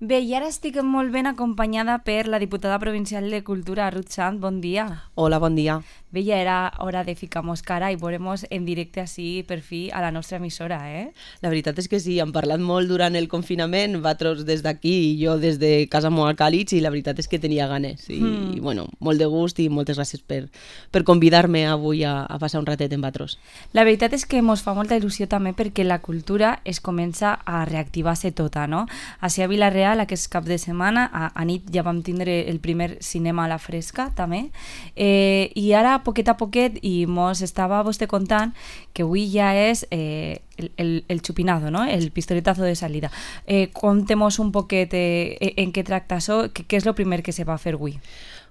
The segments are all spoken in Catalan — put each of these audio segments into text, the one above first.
Bé, i ara estic molt ben acompanyada per la diputada provincial de Cultura, Ruth Sant. Bon dia. Hola, bon dia. Bé, ja era hora de ficar-nos cara i veuremos en directe així per fi a la nostra emissora, eh? La veritat és que sí, hem parlat molt durant el confinament, vosaltres des d'aquí i jo des de casa molt Càlig, i la veritat és que tenia ganes. I bueno, molt de gust i moltes gràcies per convidar-me avui a passar un ratet amb vosaltres. La veritat és que ens fa molta il·lusió també perquè la cultura es comença a reactivar-se tota, no? Així a Vila-real, aquest cap de setmana, a nit ja vam tindre el primer cinema a la fresca, també, i ara, poquet a poquet, i mos estava vostè contant que avui ja és el chupinado, no? El pistoletazo de salida. Contem-nos un poquet en què tracta això, què és el primer que se va fer avui?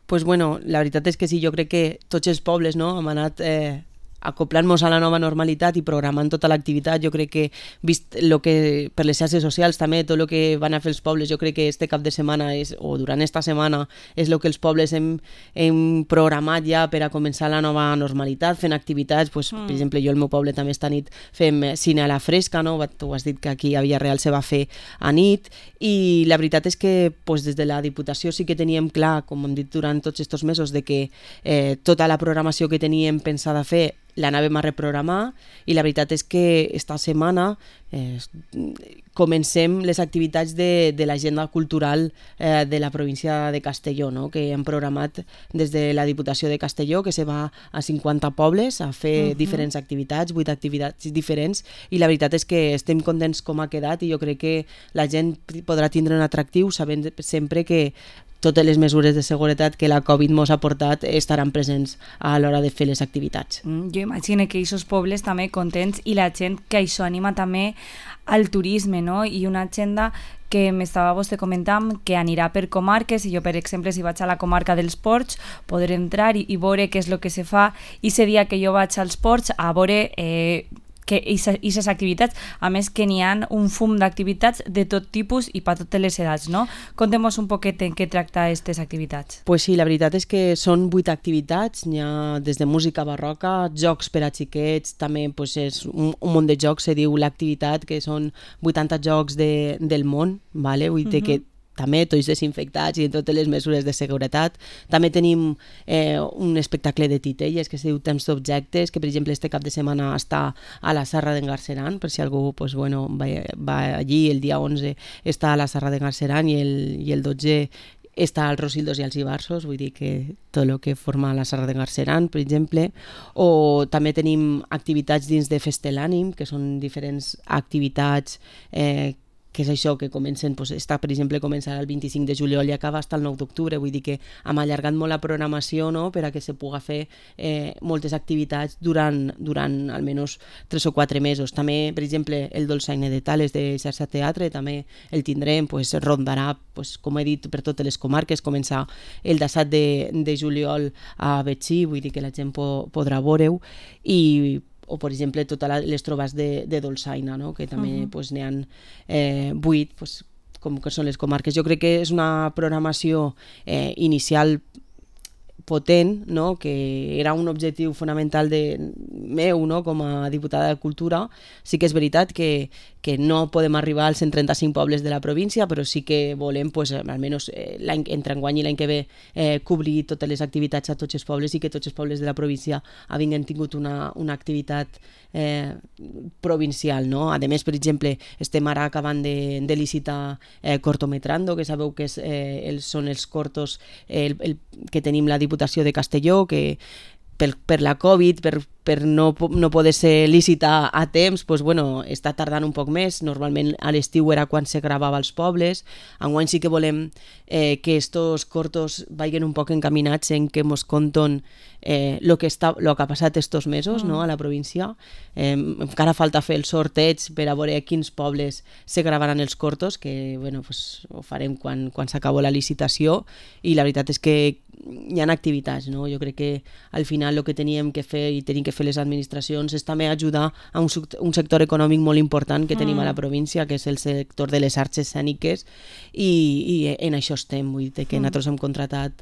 Pues bueno, la veritat és que sí, jo crec que tots els pobles, no, hem anat acoplant-nos a la nova normalitat i programant tota l'activitat. Jo crec que, vist lo que per les xarxes socials també, tot el que van a fer els pobles, jo crec que este cap de setmana o durant esta setmana és el que els pobles hem programat ja per a començar la nova normalitat, fent activitats, pues, per exemple, jo al meu poble també esta nit fem cine a la fresca, no? Tu has dit que aquí a Villarreal se va fer a nit, i la veritat és que pues, des de la Diputació sí que teníem clar, com hem dit durant tots aquests mesos, de que tota la programació que teníem pensada fer l'anàvem a reprogramar, i la veritat és que esta setmana comencem les activitats de l'agenda cultural de la província de Castelló, no? Que hem programat des de la Diputació de Castelló, que se va a 50 pobles a fer diferents activitats, 8 activitats diferents, i la veritat és que estem contents com ha quedat, i jo crec que la gent podrà tindre un atractiu sabent sempre que totes les mesures de seguretat que la Covid ens ha portat estaran presents a l'hora de fer les activitats. Jo imagino que aquests pobles també contents, i la gent que això anima també al turisme, no? I una agenda que m'estava vostè comentant que anirà per comarques, i jo, per exemple, si vaig a la comarca dels Ports, podré entrar i veure què és el que se fa, i ese dia que jo vaig als Ports a veure que aquestes activitats, a més que n'hi ha un fum d'activitats de tot tipus i per totes les edats, no? Contem-nos un poquet en què tracta aquestes activitats. Pues sí, la veritat és que són 8 activitats, n'hi ha des de música barroca, jocs per a xiquets, també pues, és un munt de jocs, se diu l'activitat, que són 80 jocs del món, vale? Vull dir que també tots desinfectats i totes les mesures de seguretat. També tenim un espectacle de titelles que es diu Temps d'Objectes, que per exemple este cap de setmana està a la Serra d'en Garceran, per si algú pues, bueno, va allí. El dia 11 està a la Serra d'en Garceran i el 12 està als Rosillos i als Ibarsos, vull dir que tot el que forma la Serra de Garceran, per exemple. O també tenim activitats dins de Festelànim, que són diferents activitats que és això, que comencen, doncs, està, per exemple, començarà el 25 de juliol i acaba fins el 9 d'octubre, vull dir que hem allargat molt la programació, no?, per a que se pugui fer moltes activitats durant almenys 3 o 4 mesos. També, per exemple, el Dolçaina de Tales de Xarxa Teatre, també el tindrem, pues, rondarà, pues, com he dit, per totes les comarques, començar el 17 de juliol a Betxí, vull dir que la gent podrà veure-ho, o per exemple totes les trobades de Dolçaina, no? Que també pues, n'hi ha 8, pues, com que són les comarques. Jo crec que és una programació inicial potent, no? Que era un objectiu fonamental meu, no? Com a diputada de Cultura. Sí que és veritat que no podem arribar als 135 pobles de la província, però sí que volem, pues, almenys entre enguany i l'any que ve, cobrir totes les activitats a tots els pobles, i que tots els pobles de la província havien tingut una activitat provincial, no? A més, per exemple, estem ara acabant de licitar Cortometrando, que sabeu que són els cortos que tenim la Diputació de Castelló, que per la Covid, per no poder ser licitar a temps, pues, bueno, està tardant un poc més. Normalment a l'estiu era quan se gravava als pobles. Enguany sí que volem que estos cortos vagin un poc encaminats en que mos conten lo que ha passat estos mesos, no, a la província. Encara falta fer el sorteig per a veure a quins pobles se gravaran els cortos, que bueno, pues, ho farem quan s'acabó la licitació, i la veritat és que hi ha activitats, no? Jo crec que al final el que teníem que fer i tenim que que fer les administracions és també ajudar a un sector econòmic molt important que tenim a la província, que és el sector de les arts escèniques, i en això estem. Vull dir que nosaltres hem contratat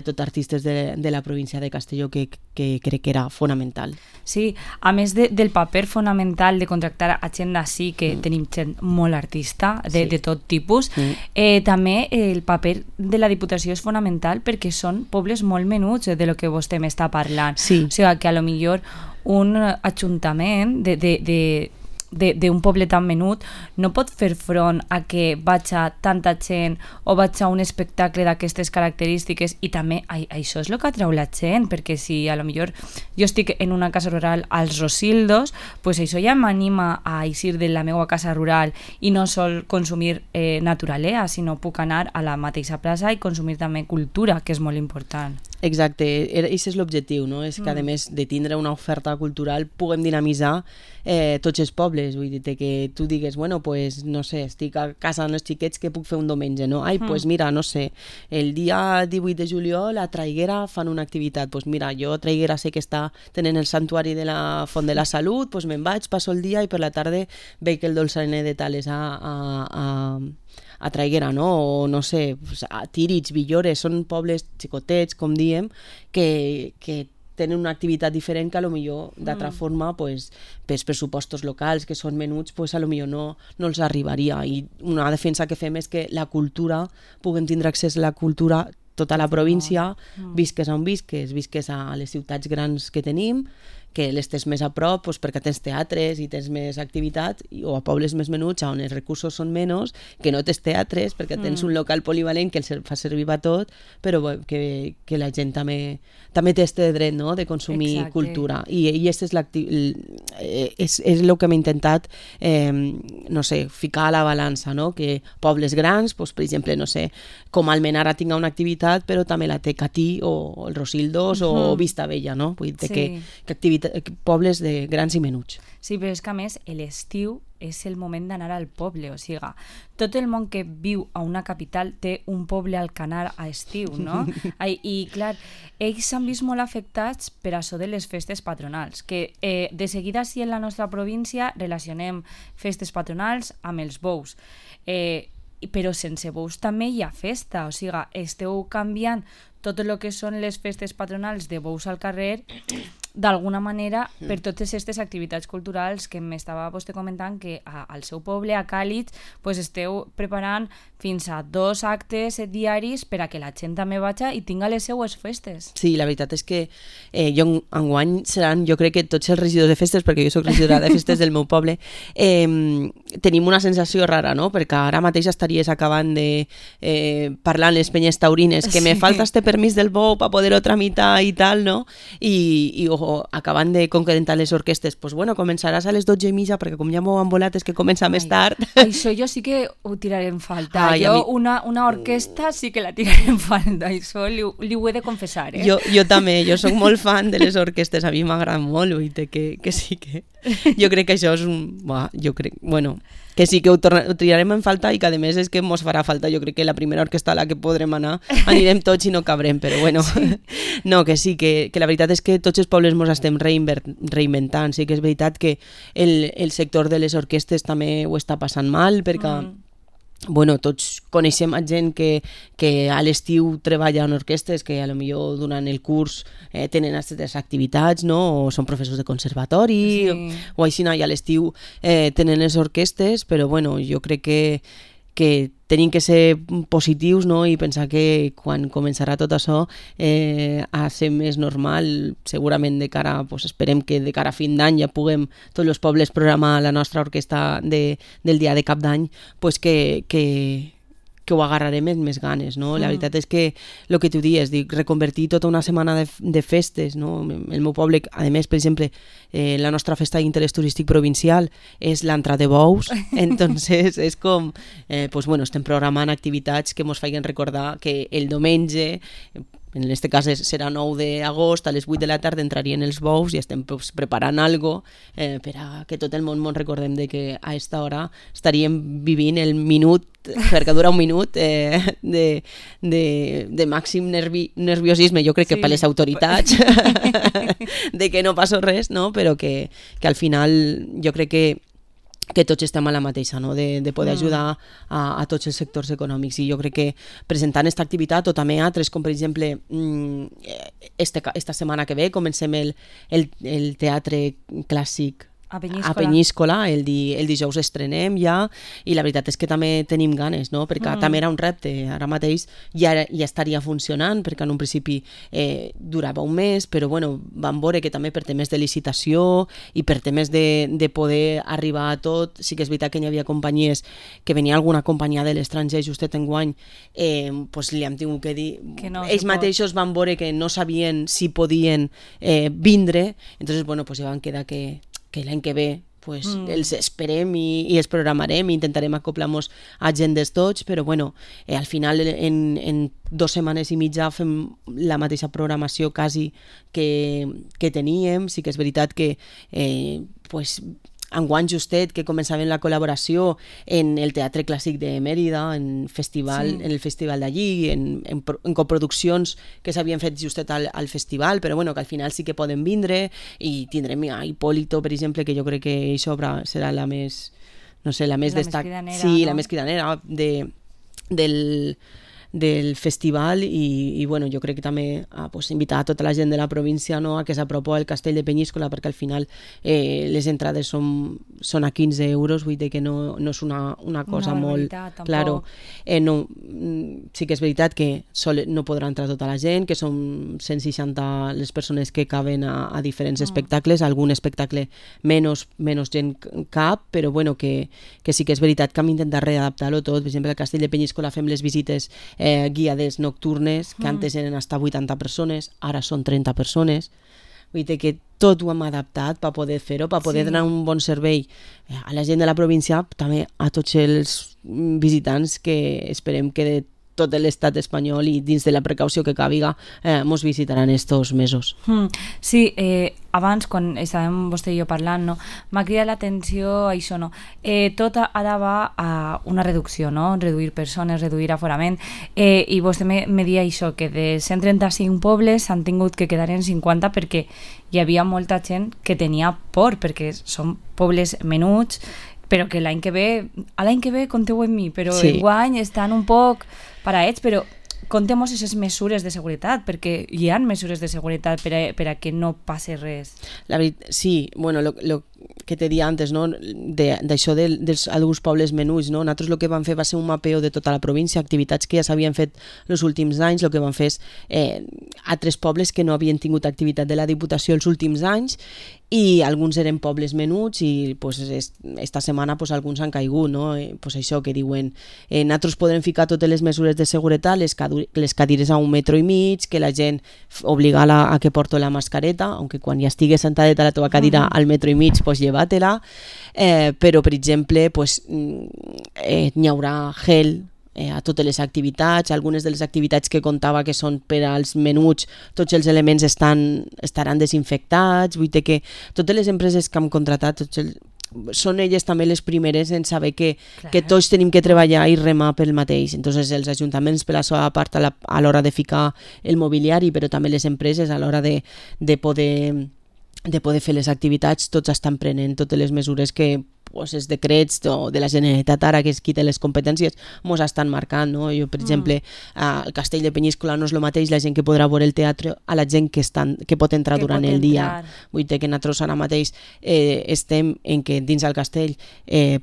tot artistes de la província de Castelló, que crec que era fonamental. Sí, a més del paper fonamental de contractar a gent d'ací, que tenim gent molt artista, de tot tipus, també el paper de la Diputació és fonamental perquè són pobles molt menuts de lo que vostè m'està parlant. Sí. O sigui, que a lo millor un ajuntament d'un poble tan menut no pot fer front a que vaig a tanta gent o vaig a un espectacle d'aquestes característiques, i també això és el que atreu la gent, perquè si a lo millor jo estic en una casa rural als Rosildos, pues això ja m'anima a eixir de la meva casa rural i no sol consumir naturalea, sinó puc anar a la mateixa plaça i consumir també cultura, que és molt important. Exacte, això és l'objectiu, no? És que a més de tindre una oferta cultural puguem dinamitzar tots els pobles, vull dir que tu digues, bueno, pues no sé, estic a casa amb els xiquets, que puc fer un diumenge, no? Ai, pues mira, no sé, el dia 18 de juliol a Traiguera fan una activitat, pues mira, jo a Traiguera sé que està tenint el santuari de la Font de la Salut, pues me'n vaig, passo el dia i per la tarda veig el dolçainer de Tales a Traiguera, no? O no sé, a Tírig, Villores, són pobles xicotets, com diem, que tenen una activitat diferent que a lo millor d'altra forma, pues, pels pressupostos locals que són menuts, pues, a lo millor no els arribaria. I una defensa que fem és que la cultura, puguem tindre accés a la cultura tota la província, visques on visques a les ciutats grans que tenim, que les tens més a prop, doncs perquè tens teatres i tens més activitat, o a pobles més menuts on els recursos són menys, que no tens teatres perquè tens un local polivalent que els fa servir a tot, però que la gent també té este dret, no?, de consumir cultura. I és el que hem intentat no sé, ficar a la balança, no? Que pobles grans, doncs, per exemple, no sé, com Almenara tinga una activitat, però també la té Catí o el Rosildos o Vistabella, no? Vull dir que pobles de grans i menuts. Sí, però és que a més l'estiu és el moment d'anar al poble, o sigui, tot el món que viu a una capital té un poble al canar a estiu, no? I clar, ells s'han vist molt afectats per això de les festes patronals, que de seguida sí en la nostra província relacionem festes patronals amb els bous, però sense bous també hi ha festa, o sigui, esteu canviant tot el que són les festes patronals de bous al carrer d'alguna manera per totes aquestes activitats culturals que m'estava vostè comentant que al seu poble, a Càlig, pues esteu preparant fins a 2 actes diaris per a que la gent també vagi i tinga les seues festes. Sí, la veritat és que enguany seran, jo crec que tots els regidors de festes, perquè jo soc regidora de festes del meu poble, tenim una sensació rara, no? Perquè ara mateix estaries acabant de parlar amb les penyes taurines que me falta este permís del bou per poder-ho tramitar i tal, no? I acabant de concretar les orquestes, pues bueno, començaràs a les 12:30 perquè com ja m'ho han volat és que comença més tard. Això jo sí que ho tiraré en falta. Una orquesta sí que la tiraré en falta, això li ho he de confessar. Jo també, jo soc molt fan de les orquestes, a mi m'agrada molt, que sí que... Jo crec que això és que sí que ho triarem en falta i que a més és que mos farà falta. Jo crec que la primera orquestra a la que podrem anar anirem tots i no cabrem, però bueno, no, que sí, que la veritat és que tots els pobles mos estem reinventant. Sí que és veritat que el sector de les orquestes també ho està passant mal, perquè bueno, tots coneixem gent que a l'estiu treballa en orquestes, que a lo millor durant el curs tenen aquestes activitats, no? O són professors de conservatori, o així, i a l'estiu tenen les orquestes, però bueno, jo crec que tenim que ser positius, no? I pensar que quan començarà tot això a ser més normal, segurament de cara, pues esperem que de cara a fin d'any ja puguem tots els pobles programar la nostra orquestra del dia de cap d'any, pues que ho agarrarem amb més ganes, no? La veritat és que el que tu dius, reconvertir tota una setmana de festes, no? El meu poble, a més, per exemple, la nostra festa d'interès turístic provincial és l'entrada de bous, entonces és com, pues bueno, estem programant activitats que ens facin recordar que el diumenge en aquest cas serà 9 d'agost, a les 8 de la tarda entrarien els bous i estem pues, preparant algo per a que tot el món recordem de que a aquesta hora estaríem vivint el minut, perquè dura un minut, de màxim nerviosisme, jo crec que per les autoritats, de que no passa res, no? Però que al final jo crec que tots estem a la mateixa, no? de poder ajudar a tots els sectors econòmics, i jo crec que presentant aquesta activitat o també altres, com per exemple esta setmana que ve comencem el teatre clàssic a Peníscola, el dijous estrenem ja, i la veritat és que també tenim ganes, no? Perquè també era un repte, ara mateix ja estaria funcionant, perquè en un principi durava un mes, però bueno, vam veure que també per temes de licitació i per temes de poder arribar a tot, sí que és veritat que hi havia companyies, que venia alguna companyia de l'estranger justet enguany, pues li hem tingut que dir, que no, ells mateixos van veure que no sabien si podien vindre, entonces bueno, pues ja van quedar que l'any que ve pues, els esperem i els programarem i intentarem acoplar-nos a agendes tots, però bueno, al final en 2 setmanes i mitja fem la mateixa programació quasi que teníem. Sí que és veritat que pues, enguany justet que començàvem la col·laboració en el Teatre Clàssic de Mèrida, en el festival d'allí, en coproduccions que s'havien fet justet al festival, però bueno, que al final sí que poden vindre, i tindrem a Hipólito, per exemple, que jo crec que això serà la més, no sé, la més destacada, sí, no? La més cridanera del festival, i bueno, jo crec que també pues, invitar a tota la gent de la província, no, a que s'apropi al Castell de Peníscola, perquè al final les entrades són a 15 euros, vull dir que no és una cosa molt... Claro, no, sí que és veritat que no podrà entrar tota la gent, que són 160 les persones que caben a diferents espectacles, algun espectacle menys gent cap, però bueno, que sí que és veritat que hem intentat readaptar-ho tot. Per exemple, al Castell de Peníscola fem les visites guiades nocturnes, que antes eren hasta 80 persones, ara són 30 persones. Vull dir que tot ho hem adaptat per poder fer-ho, per poder donar un bon servei a la gent de la província, també a tots els visitants que esperem que de tot l'estat espanyol i dins de la precaució que càbiga mos visitaran estos mesos. Sí, abans quan estàvem vostè i jo parlant, no, m'ha cridat l'atenció això, no? Tot ara va a una reducció, no? Reduir persones, reduir aforament, i vostè me dia això, que de 135 pobles s'han tingut que quedar en 50 perquè hi havia molta gent que tenia por, perquè són pobles menuts, però que l'any que ve compteu amb mi, però enguany estan un poc paraets, però contem aquestes mesures de seguretat, perquè hi ha mesures de seguretat per a que no passi res. La veritat, sí, bueno, lo que te dia antes, no? D'això d'alguns pobles menuts, no? Nosaltres el que vam fer va ser un mapeo de tota la província, activitats que ja s'havien fet els últims anys. El que vam fer és altres pobles que no havien tingut activitat de la Diputació els últims anys, i alguns eren pobles menuts, i pues, esta setmana pues, alguns han caigut, no? Pues això que diuen, nosaltres podrem ficar totes les mesures de seguretat, les cadires a 1,5 metres, que la gent obligar-la a que porto la mascareta, aunque quan ja estigues sentadet a la teva cadira al 1,5 metres, pues lleva-te-la, però per exemple pues, n'hi haurà gel a totes les activitats. Algunes de les activitats que contava que són per als menuts, tots els elements estaran desinfectats. Vull dir que totes les empreses que hem contratat, són elles també les primeres en saber que tots tenim que treballar i remar pel mateix. Entonces els ajuntaments per la seva part a l'hora de ficar el mobiliari, però també les empreses a l'hora de poder fer les activitats, tots estan prenent totes les mesures que pues, els decrets de la Generalitat ara, que és qui té les competències, mos estan marcant, no? Jo, per exemple, al Castell de Peníscola no és el mateix la gent que podrà veure el teatre a la gent que pot entrar durant el dia. Vull dir que nosaltres ara mateix estem en que dins del castell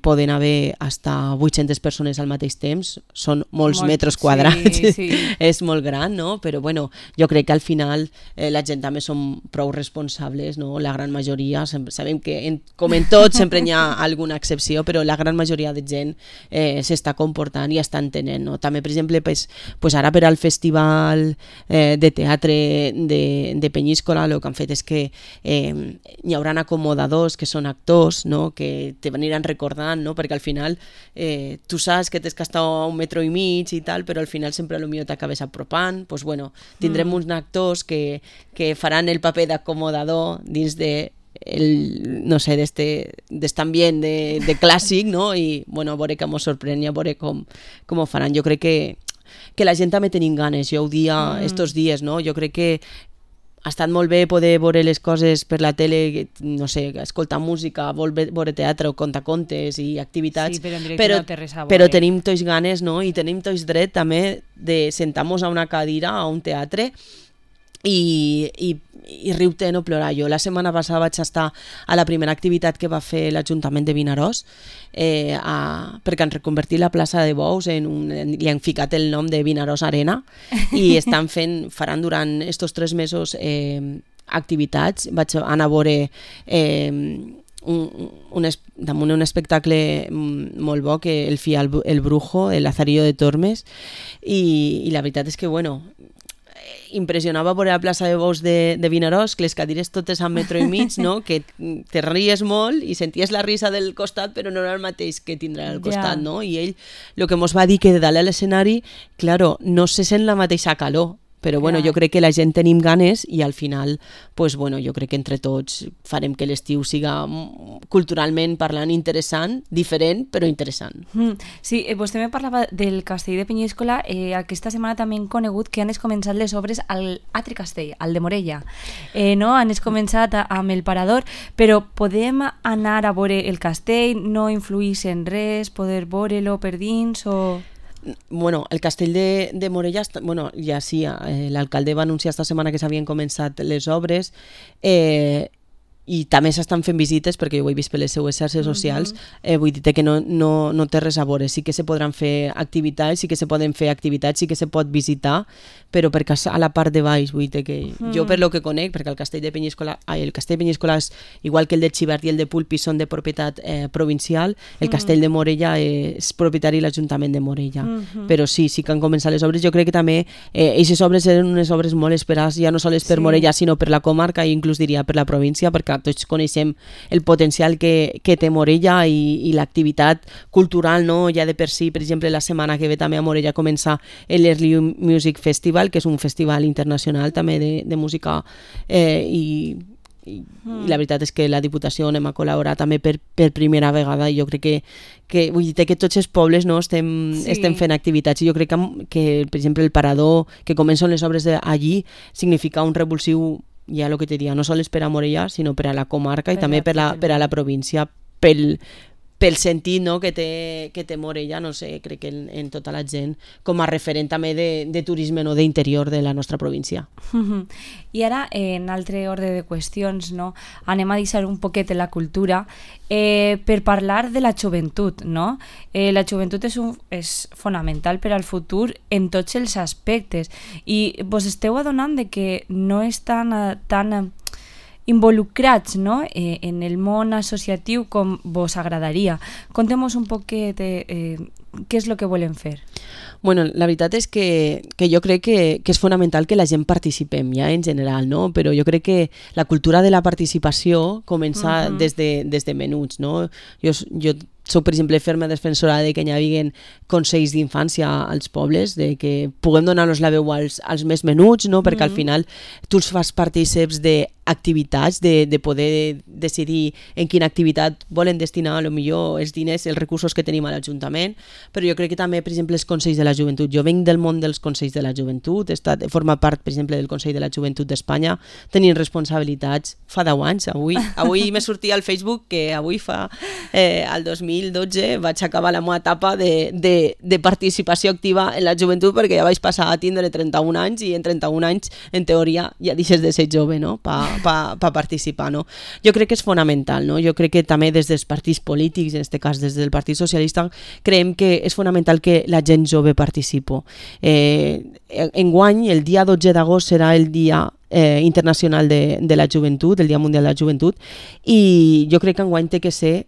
poden haver hasta 800 persones al mateix temps, són molts metres quadrats, sí. És molt gran, no? Però bueno, jo crec que al final la gent també són prou responsables, no? La gran majoria, sabem que com en tot sempre hi ha algun alguna excepció, però la gran majoria de gent s'està comportant i està entenent, no? També, per exemple, pues ara per al festival de teatre de Penyíscola el que han fet és que hi haurà acomodadors que són actors, no? Que te aniran recordant, no? Perquè al final tu saps que t'has gastat 1,5 metres i tal, però al final sempre potser t'acabes apropant. Pues bueno, tindrem uns actors que faran el paper d'acomodador dins de no sé, d'este ambient de clàssic, no? I bueno, a veure que mos sorprèn i a veure com ho faran. Jo crec que la gent també tenim ganes, jo ho dia estos dies, no? Jo crec que ha estat molt bé poder veure les coses per la tele, no sé, escoltar música, veure teatre o contacontes i activitats, sí, però tenim tots ganes, no? I tenim tots dret també de sentar-nos a una cadira, a un teatre i riure no plorar. Jo la setmana passada vaig estar a la primera activitat que va fer l'Ajuntament de Vinaròs perquè han reconvertit la plaça de Bous li han ficat el nom de Vinaròs Arena i faran durant estos 3 mesos activitats. Vaig anar a veure damunt un espectacle molt bo que el FIA el Brujo, el Lazarillo de Tormes, i la veritat és que bueno, impressionava veure la plaça de Bous de Vinaròs, que les cadires totes a 1,5 metres, no? Que te ries molt i senties la risa del costat, però no era el mateix que tindrà al costat, no? I ell el que mos va dir que de dalt a l'escenari, claro, no se sent la mateixa calor, però bueno, jo crec que la gent tenim ganes i al final, pues bueno, jo crec que entre tots farem que l'estiu siga culturalment parlant interessant, diferent, però interessant. Sí, vostè me parlava del castell de Penyíscola. Aquesta setmana també hem conegut que han començat les obres al altre castell, al de Morella. No? Han començat amb el Parador, però podem anar a veure el castell, no influís en res, poder veure-lo per dins o... Bueno, el castell de Morella, bueno, ja sí, l'alcalde va anunciar esta setmana que s'havien començat les obres i també s'estan fent visites perquè jo ho he vist per les seues xarxes socials. Vull dir que no té res a veure, sí que se podran fer activitats, sí que se poden fer activitats, sí que se pot visitar, però perquè a la part de baix, vull dir que jo per lo que conec, perquè el castell de Penyíscola és igual que el de Xivert i el de Pulpi són de propietat provincial, el castell de Morella és propietari de l'Ajuntament de Morella, però sí que han començat les obres. Jo crec que també aquestes obres eren unes obres molt esperades, ja no sols per Morella sinó per la comarca i inclús diria per la província, perquè tots coneixem el potencial que té Morella i l'activitat cultural, no? Ja de per si, per exemple, la setmana que ve també a Morella comença l'Early Music Festival, que és un festival internacional també de música i la veritat és que la Diputació anem a col·laborar també per primera vegada i jo crec que vull dir que tots els pobles no, estem fent activitats i jo crec que per exemple el Parador, que comencen les obres allí, significa un revulsiu, ja el que te diria, no sols per a Morella sinó per a la comarca i també per a la província, pel sentit, no, que té Morella, no sé, crec que en tota la gent com a referent també de turisme, no, d'interior de la nostra província. I ara, en altre ordre de qüestions, no, anem a deixar un poquet la cultura per parlar de la joventut, no? La joventut és fonamental per al futur en tots els aspectes i vos esteu adonant de que no és tan involucrats, no? En el món associatiu com vos agradaria. Contem-nos un poquet què és el que volem fer. Bueno, la veritat és que jo crec que és fonamental que la gent participem ja en general, no? Però jo crec que la cultura de la participació comença des de menuts, no? Jo soc, per exemple, ferma defensora de que hi hagi consells d'infància als pobles, de que puguem donar-los la veu als més menuts, no? Perquè al final tu els fas partíceps d'activitats, de poder decidir en quina activitat volen destinar potser els diners, els recursos que tenim a l'Ajuntament, però jo crec que també, per exemple, els consells de la joventut. Jo venc del món dels consells de la joventut, he format part, per exemple, del Consell de la Joventut d'Espanya, tenint responsabilitats fa 10 anys. Avui me sortia al Facebook que avui al 2012 vaig acabar la meva etapa de participació activa en la joventut perquè ja vaig passar a tindre 31 anys i en 31 anys, en teoria, ja deixes de ser jove, no? Pa participar, no? Jo crec que és fonamental, no? Jo crec que també des dels partits polítics, en aquest cas des del Partit Socialista, creiem que és fonamental que la gent jove participi. Enguany, el dia 12 d'agost serà el dia internacional de la joventut, el dia mundial de la joventut, i jo crec que enguany té que ser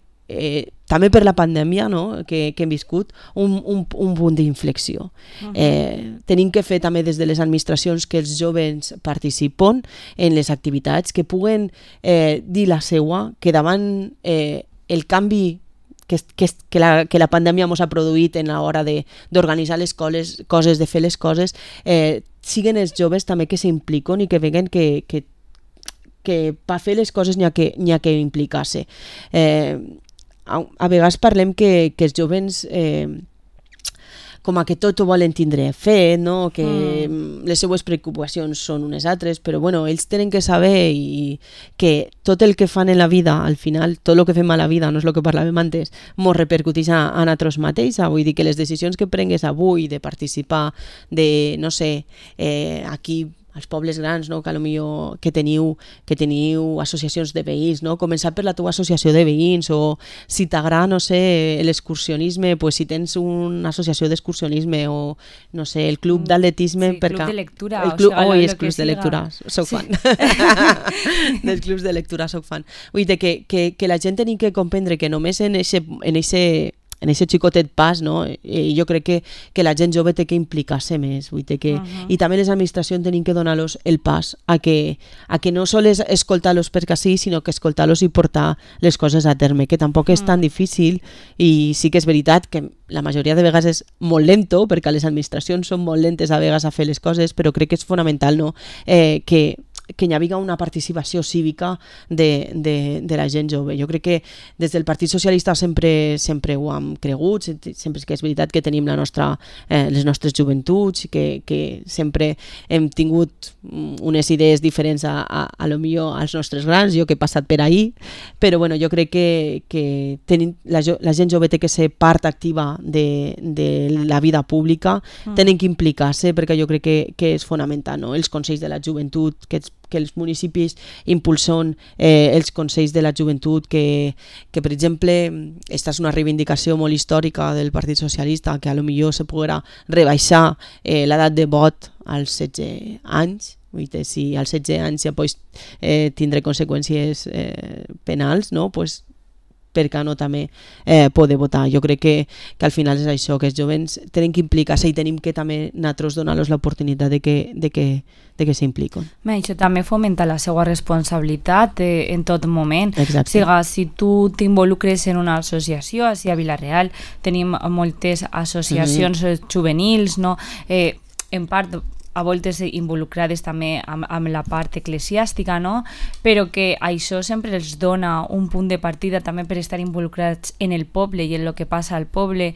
també per la pandèmia, no? que hem viscut, un punt d'inflexió. Tenim que fer també des de les administracions que els joves participen en les activitats, que puguen dir la seua, que davant el canvi que la pandèmia ens ha produït en l'hora d'organitzar les coses, de fer les coses, siguen els joves també que s'impliquen i que veguen que per fer les coses n'hi ha que implicar-se. A vegades parlem que els joves com a que tot ho volen tindre fet, no? Que les seues preocupacions són unes altres, però bueno, ells tenen que saber que tot el que fan en la vida, al final, tot el que fem a la vida, no és el que parlàvem antes, mos repercuteix a nosaltres mateixos. Vull dir que les decisions que prengues avui de participar, de, no sé, aquí als pobles grans, no? Que potser que teniu associacions de veïns, no? Començar per la teva associació de veïns, o si t'agrada, no sé, l'excursionisme, pues si tens una associació d'excursionisme, o no sé, el club d'atletisme, sí, club de lectura, els clubs de lectura, soc fan dels clubs de lectura, soc fan. Vull dir que la gent tenim que comprendre que només en aquest xicotet pas, no? Jo crec que la gent jove té que implicar-se més, vull dir que i també les administracions tenim que donar-los el pas a que no sols escoltar-los perquè sí, sinó que escoltar-los i portar les coses a terme, que tampoc és tan difícil, i sí que és veritat que la majoria de vegades és molt lento, perquè les administracions són molt lentes a vegades a fer les coses, però crec que és fonamental, no? Que hi hagi una participació cívica de la gent jove. Jo crec que des del Partit Socialista sempre ho hem cregut, sempre que és veritat que tenim les nostres joventuts, que sempre hem tingut unes idees diferents a lo millor als nostres grans, jo que he passat per ahir, però bueno, jo crec que la gent jove té que ser part activa de la vida pública, tenen que implicar-se, perquè jo crec que és fonamental, no? Els consells de la joventut, que els municipis impulsen els consells de la joventut, que per exemple, esta és una reivindicació molt històrica del Partit Socialista, que a lo millor se podrà rebaixar l'edat de vot als 16 anys. Si als 16 anys ja pots tindre conseqüències penals, no? Pues per què no també poder votar. Jo crec que al final és això, que els jovens tenen que implicar-se i tenim que també nosaltres donar-los l'oportunitat de que s'impliquen. Això també fomenta la seva responsabilitat en tot moment. Exacte. O sigui, si tu t'involucres en una associació, així a Vila-real tenim moltes associacions juvenils, no? En part a voltes involucrades també amb la part eclesiàstica, no? Però que això sempre els dona un punt de partida també per estar involucrats en el poble i en el que passa al poble,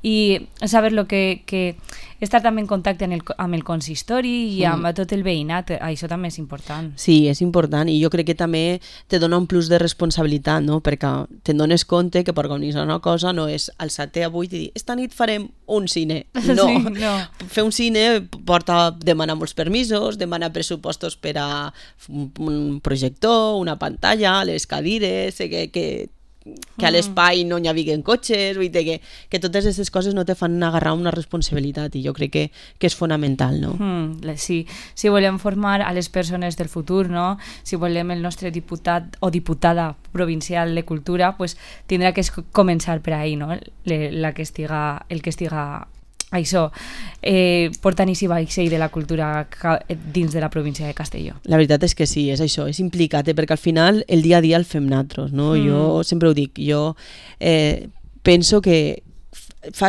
i saber que estar també en contacte amb el consistori i amb tot el veïnat, això també és important. Sí, és important, i jo crec que també te dona un plus de responsabilitat, no? Perquè te'n dones compte que per organitzar una cosa no és alçar-te avui i dir, esta nit farem un cine. No, sí, no. Fer un cine porta demanar molts permisos, demanar pressupostos per a un projector, una pantalla, les cadires, que a l'espai no hi havien cotxes, vull dir que totes aquestes coses no te fan agarrar una responsabilitat, i jo crec que és fonamental, no? Sí, si volem formar a les persones del futur, no? Si volem el nostre diputat o diputada provincial de cultura, pues tindrà que començar per ahí, no? El que estiga això, portant i vaixell de la cultura dins de la província de Castelló. La veritat és que sí, és això, és implicat, perquè al final el dia a dia el fem nosaltres, no? Jo sempre ho dic, jo penso que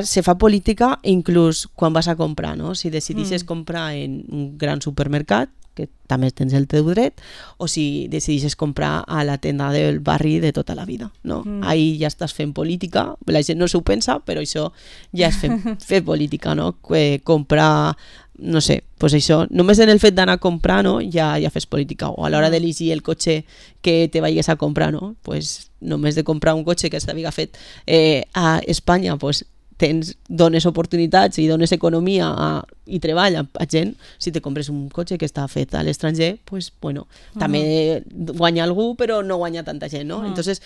se fa política inclús quan vas a comprar, no? Si decidisses comprar en un gran supermercat, que també tens el teu dret, o si decidisses comprar a la tenda del barri de tota la vida, no? Ahí ja estàs fent política, la gent no s'ho pensa, però això ja és fer política, no? Comprar, no sé, pues això, només en el fet d'anar a comprar, no? Ja fes política, o a l'hora d'elegir el cotxe que te vayas a comprar, no? Pues només de comprar un cotxe que s'havia fet a Espanya, pues dones oportunitats i dones economia i treball a gent. Si te compres un cotxe que està fet a l'estranger, pues, bueno, també guanya algú, però no guanya tanta gent, no? Entonces,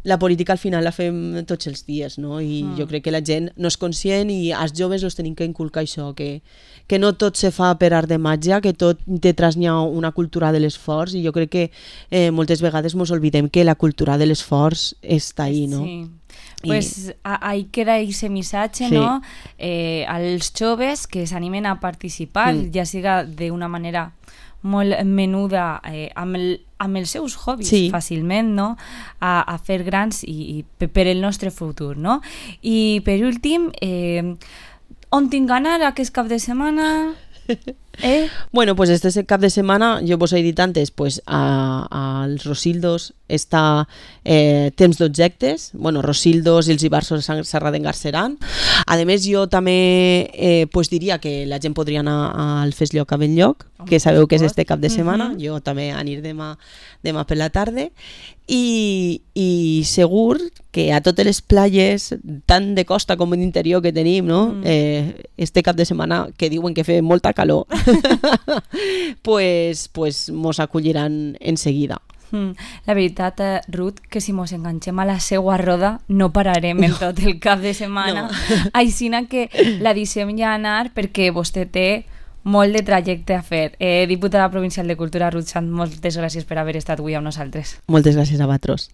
la política al final la fem tots els dies, no? I jo crec que la gent no és conscient, i als joves els tenim que inculcar això, que no tot se fa per art de màgia, que tot detrás n'hi ha una cultura de l'esforç, i jo crec que moltes vegades ens oblidem que la cultura de l'esforç està ahí, no? Sí. Pues ahí queda ese missatge, Sí. no? Als joves que s'animen a participar, ja siga d'una manera molt menuda amb els seus hobbies, Sí. fàcilment, no? A fer grans i per el nostre futur, no? I per últim, on tinc d'anar aquest cap de setmana? Bueno, pues este cap de setmana, jo vos he dit antes, pues als Rosildos està temps d'objectes, bueno, Rosildos i els Ibarsos de Serradengar-Seran. A més, jo també pues diria que la gent podria anar al Fes Lloc a Benlloc, que sabeu que és este cap de setmana, jo també aniré demà per la tarda, i segur que a totes les platges, tant de costa com d'interior que tenim, no? Este cap de setmana, que diuen que fe molta calor, pues mos acolliran en seguida. La veritat, Ruth, que si mos enganxem a la seua roda no pararem en tot el cap de setmana. Aixina que la deixem ja anar perquè vostè té molt de trajecte a fer. Diputada provincial de Cultura, Ruth Sant, moltes gràcies per haver estat avui amb nosaltres. Moltes gràcies a vosaltres.